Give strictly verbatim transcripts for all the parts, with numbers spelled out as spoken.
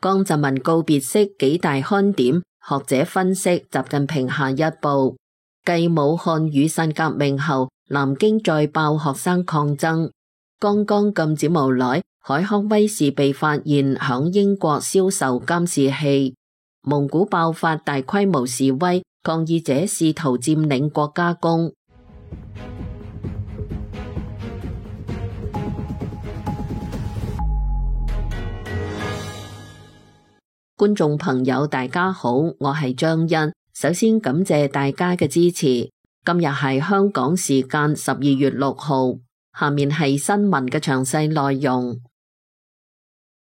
江澤民告別式幾大看點，學者分析習近平下一步。繼武漢雨傘革命後，南京再爆學生抗爭。剛剛禁止無耐，海康威視被發現響英國銷售監視器。蒙古爆發大規模示威，抗議者試圖佔領國家宮。觀眾朋友大家好，我係張欣，首先感謝大家嘅支持。今日係香港時間十二月六號，下面係新聞嘅詳細內容。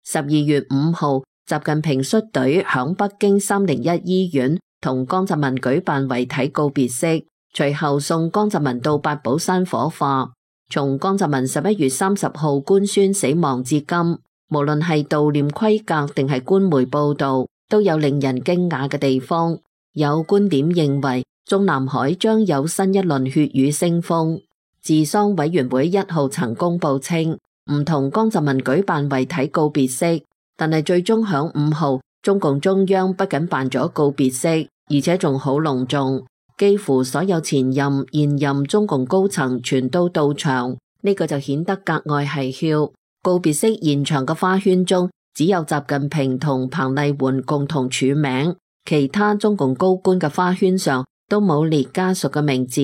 十二月五號，習近平率隊響北京三零一醫院同江澤民舉辦遺體告別式，隨後送江澤民到八寶山火化。從江澤民十一月三十號官宣死亡至今，無論係悼念規格定係官媒報道，都有令人驚訝嘅地方。有觀點認為，中南海將有新一輪血雨腥風。治喪委員會一號曾公布稱，唔同江澤民舉辦遺體告別式，但係最終響五號，中共中央不僅辦咗告別式，而且仲好隆重，幾乎所有前任、現任中共高層全都到場，呢個就顯得格外係囂。告別式現場嘅花圈中，只有習近平同彭麗媛共同署名，其他中共高官嘅花圈上都冇列家屬嘅名字。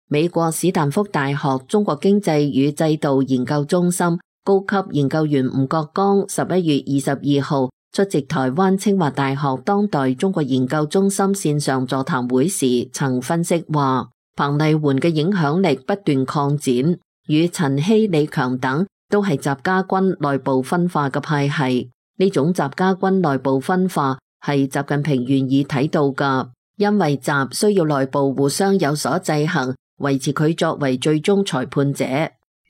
美國史丹福大學中國經濟與制度研究中心高級研究員吳國剛十一月二十二號出席台灣清華大學當代中國研究中心線上座談會時，曾分析話，彭麗媛嘅影響力不斷擴展，與陳希、李強等都係習家軍內部分化嘅派系。呢種習家軍內部分化係習近平願意睇到㗎，因為習需要內部互相有所制衡，維持佢作為最終裁判者。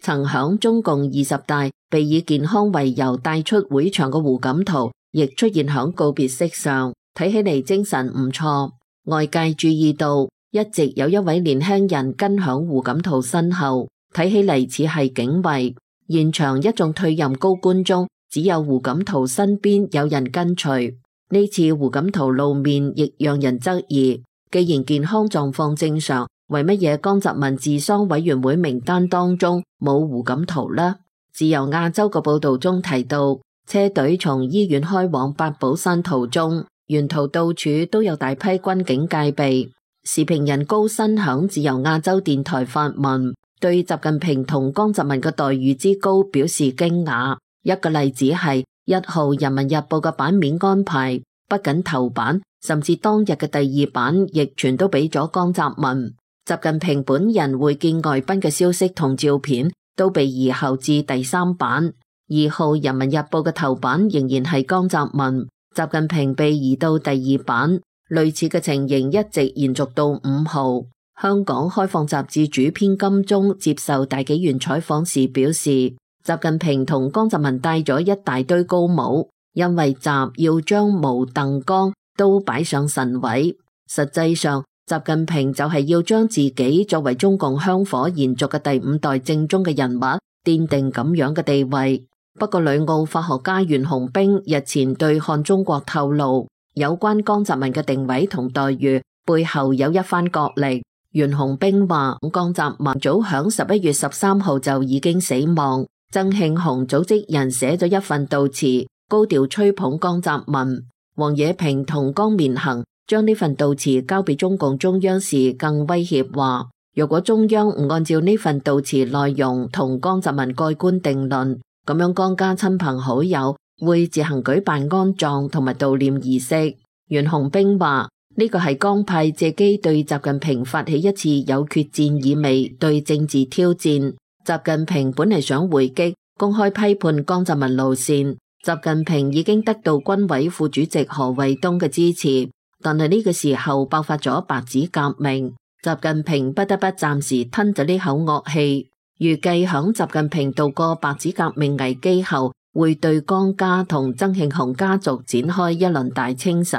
曾響中共二十大被以健康為由帶出會場嘅胡錦濤，亦出現響告別式上，睇起嚟精神唔錯。外界注意到，一直有一位年輕人跟響胡錦濤身後，睇起嚟似係警衛。現場一眾退任高官中，只有胡錦濤身邊有人跟隨。呢次胡錦濤露面亦讓人質疑，既然健康狀況正常，為乜嘢江澤民治喪委員會名單當中冇胡錦濤呢？自由亞洲嘅報道中提到，車隊從醫院開往八寶山途中，沿途到處都有大批軍警戒備。時評人高新響自由亞洲電台發文，對習近平同江澤民嘅待遇之高表示驚訝。一個例子係一號《人民日報》嘅版面安排，不僅頭版，甚至當日嘅第二版亦全都俾咗江澤民。習近平本人會見外賓嘅消息同照片都被移後至第三版。二號《人民日報》嘅頭版仍然係江澤民，習近平被移到第二版。類似嘅情形一直延續到五號。香港開放雜誌主編金鐘接受大紀元採訪時表示，習近平同江澤民戴咗一大堆高帽，因為習要將毛鄧江都擺上神位。實際上，習近平就係要將自己作為中共香火延續嘅第五代正宗嘅人物奠定咁樣嘅地位。不過，旅澳法學家袁洪兵日前對看中國透露，有關江澤民嘅定位同待遇背後有一番角力。袁洪兵話，江澤民早響十一月十三號就已經死亡。曾慶紅組織人寫咗一份悼詞，高調吹捧江澤民。王冶平同江綿恒將呢份悼詞交俾中共中央時，更威脅話，如果中央唔按照呢份悼詞內容同江澤民蓋棺定論，咁樣江家親朋好友會自行舉辦安葬同埋悼念儀式。袁洪兵話，呢個係江派借機對習近平發起一次有決戰意味對政治挑戰。習近平本嚟想回擊，公開批判江澤民路線。習近平已經得到軍委副主席何衛東嘅支持。但係呢個時候爆發咗白紙革命，習近平不得不暫時吞咗呢口惡氣。預計響習近平度過白紙革命危機後，會對江家同曾慶紅家族展開一輪大清洗。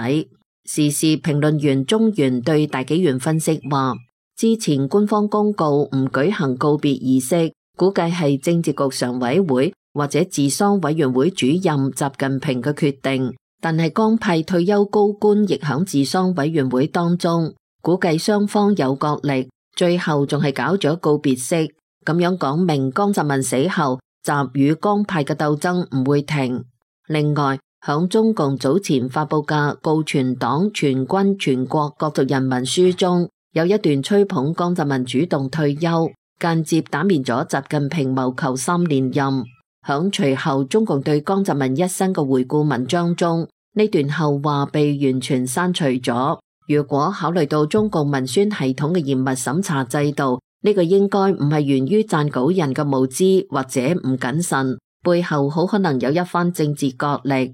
時事評論員中原對大紀元分析話，之前官方公告唔舉行告別儀式，估計係政治局常委會或者治喪委員會主任習近平嘅決定。但係江派退休高官亦響治喪委員會當中，估計雙方有角力，最後仲係搞咗告別式，咁樣講明江澤民死後，習與江派嘅鬥爭唔會停。另外，響中共早前發佈嘅《告全黨全軍全國各族人民書》中，有一段吹捧江澤民主動退休，間接打面咗習近平謀求三連任。響隨後中共對江澤民一生嘅回顧文章中，呢段後話被完全刪除咗。如果考慮到中共文宣系統嘅嚴密審查制度，呢個應該唔係源於撰稿人嘅無知或者唔謹慎，背後好可能有一番政治角力。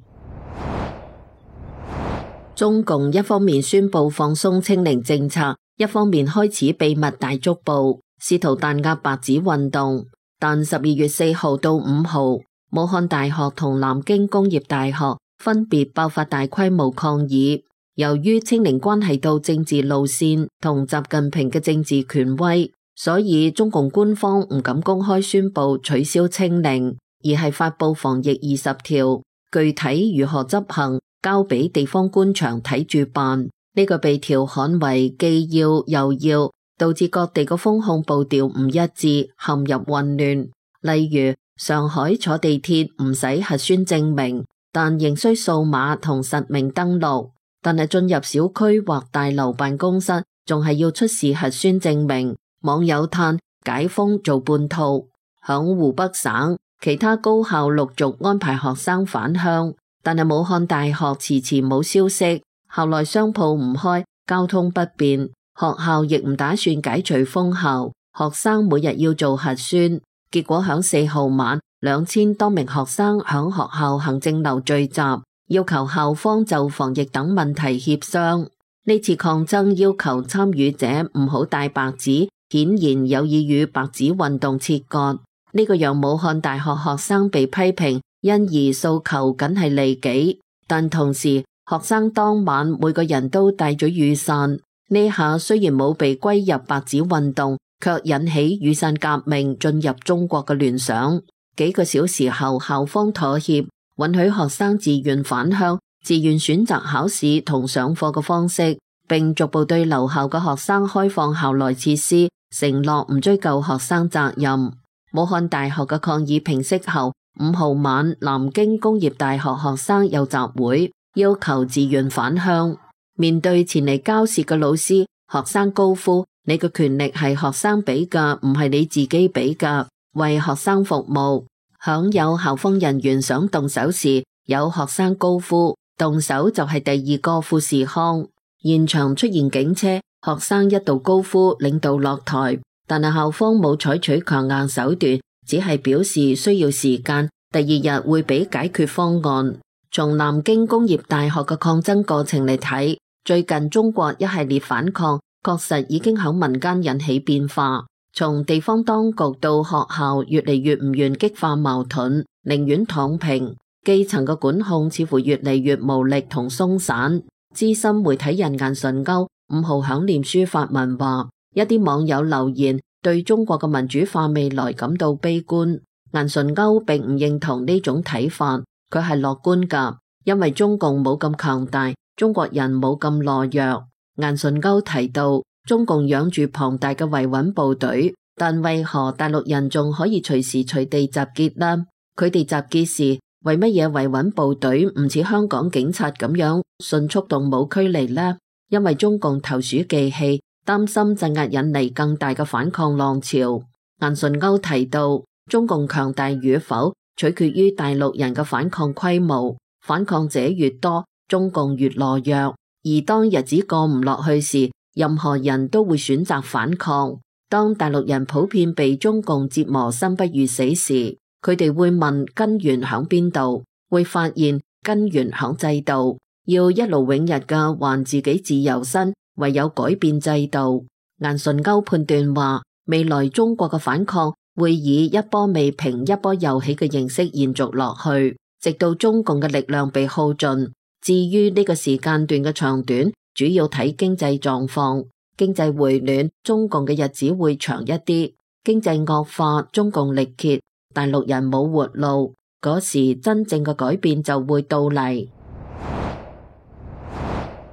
中共一方面宣布放鬆清零政策，一方面開始秘密大捉捕，試圖彈壓白紙運動。但十二月四號到五號，武漢大學同南京工業大學分別爆發大規模抗議。由於清零關係到政治路線同習近平嘅政治權威，所以中共官方唔敢公開宣布取消清零，而係發佈防疫二十條，具體如何執行交俾地方官場睇住辦。呢個被調侃為既要又要，導致各地嘅封控步調唔一致，陷入混亂。例如上海坐地鐵唔使核酸證明，但仍需掃碼同實名登錄。但係進入小區或大樓辦公室，仲係要出示核酸證明。網友嘆解封做半套。響湖北省，其他高校陸續安排學生返鄉，但係武漢大學遲遲冇消息。校內商鋪唔開，交通不便，學校亦唔打算解除封校，學生每日要做核酸。結果響四號晚，兩千多名學生響學校行政樓聚集，要求校方就防疫等問題協商。呢次抗爭要求參與者唔好帶白紙，顯然有意與白紙運動切割。呢個讓武漢大學學生被批評，因而訴求僅係利己。但同時，學生當晚每個人都帶咗雨傘。呢下雖然冇被歸入白紙運動，卻引起雨傘革命進入中國嘅聯想。幾個小時後，校方妥協，允許學生自願返鄉，自願選擇考試同上課嘅方式，並逐步對留校嘅學生開放校內設施，承諾唔追究學生責任。武漢大學嘅抗議平息後，五號晚南京工業大學學生又集會，要求自願返鄉。面對前嚟交涉嘅老師，學生高呼：你嘅權力係學生俾㗎，唔係你自己俾㗎，為學生服務。響有校方人員想動手時，有學生高呼：動手就係第二個富士康。現場出現警車，學生一度高呼領導落台，但係校方冇採取強硬手段，只係表示需要時間，第二日會俾解決方案。從南京工業大學嘅抗爭過程嚟睇，最近中國一系列反抗確實已經響民間引起變化。從地方當局到學校，越嚟越唔願激化矛盾，寧願躺平。基層嘅管控似乎越嚟越無力同鬆散。資深媒體人顏純鈎五號響臉書發文話，一啲網友留言對中國嘅民主化未來感到悲觀。顏純鈎並唔認同呢種睇法，佢係樂觀㗎，因為中共冇咁強大，中國人冇咁懦弱。顏純鈎提到，中共養住龐大嘅維穩部隊，但為何大陸人仲可以隨時隨地集結呢？佢哋集結時，為乜嘢維穩部隊唔似香港警察咁樣迅速動武驅離呢？因為中共投鼠忌器，擔心鎮壓引嚟更大嘅反抗浪潮。顏純鈎提到，中共強大與否取決於大陸人嘅反抗規模，反抗者越多，中共越懦弱。而當日子過唔落去時，任何人都會選擇反抗。當大陸人普遍被中共折磨生不如死時，佢哋會問根源響邊度，會發現根源響制度。要一勞永逸嘅還自己自由身，唯有改變制度。顏純鈎判斷話，未來中國嘅反抗會以一波未平一波又起嘅形式延續落去，直到中共嘅力量被耗盡。至於呢個時間段嘅長短，主要睇經濟狀況。經濟回暖，中共嘅日子會長一啲；經濟惡化，中共力竭，大陸人冇活路，嗰時真正嘅改變就會到嚟。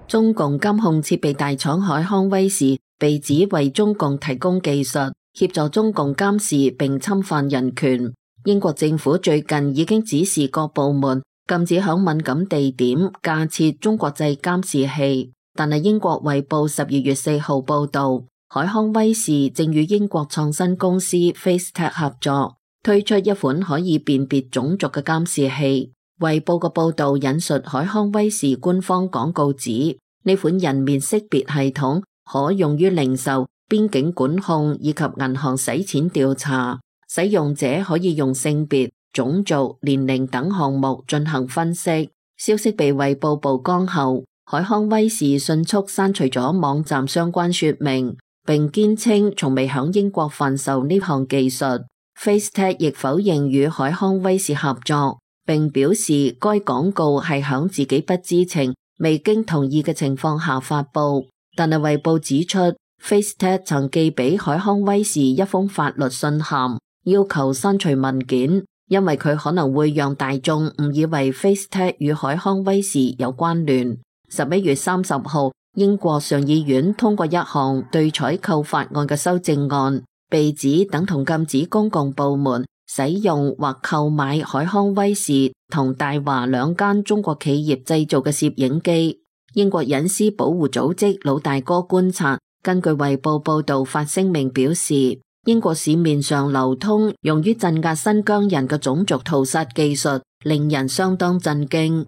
中共監控設備大廠海康威視被指為中共提供技術，協助中共監視並侵犯人權。英國政府最近已經指示各部門禁止響敏感地點架設中國製監視器，但係英國衛報十二月四號報道，海康威視正與英國創新公司 FaceTech 合作，推出一款可以辨別種族嘅監視器。衛報嘅報道引述海康威視官方廣告指，呢款人面識別系統可用於零售、邊境管控以及銀行洗錢調查，使用者可以用性別、種族、年齡等項目進行分析。消息被衛報曝光後，海康威視迅速刪除咗網站相關說明，並堅稱從未響英國販售呢項技術。FaceTech 亦否認與海康威視合作，並表示該廣告係響自己不知情、未經同意嘅情況下發布。但係衛報指出，FaceTech 曾寄俾海康威視一封法律信函，要求刪除文件，因為佢可能會讓大眾誤以為 FaceTech 與海康威視有關聯。十一月三十號，英國上議院通過一項對採購法案嘅修正案，被指等同禁止公共部門使用或購買海康威視同大華兩間中國企業製造嘅攝影機。英國隱私保護組織老大哥觀察根據衛報報道發聲明表示，英國市面上流通用於鎮壓新疆人嘅種族屠殺技術令人相當震驚。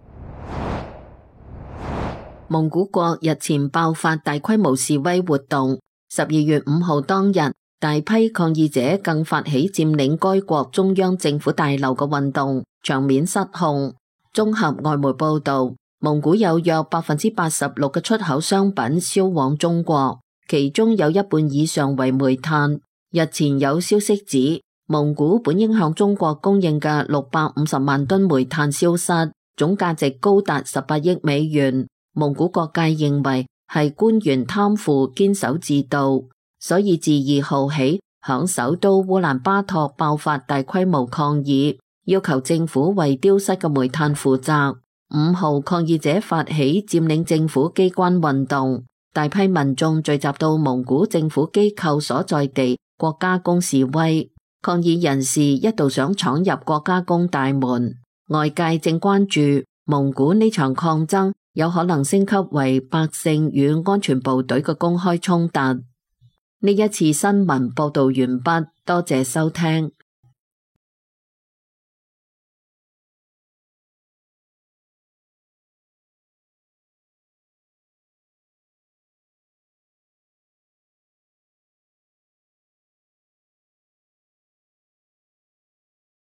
蒙古國日前爆發大規模示威活動，十二月五號當日，大批抗議者更發起佔領該國中央政府大樓嘅運動，場面失控。綜合外媒報道，蒙古有約百分之八十六嘅出口商品銷往中國，其中有一半以上為煤炭。日前有消息指，蒙古本應向中國供應嘅六百五十萬噸煤炭消失，總價值高達十八億美元。蒙古各界認為係官員貪腐堅守自盜，所以自二號起響首都烏蘭巴托爆發大規模抗議，要求政府為丟失嘅煤炭負責。五號抗議者發起佔領政府機關運動，大批民眾聚集到蒙古政府機構所在地國家宮示威，抗議人士一度想闖入國家宮大門。外界正關注蒙古呢場抗爭有可能升級為百姓與安全部隊嘅公開衝突。呢一次新聞報道完畢，多謝收聽。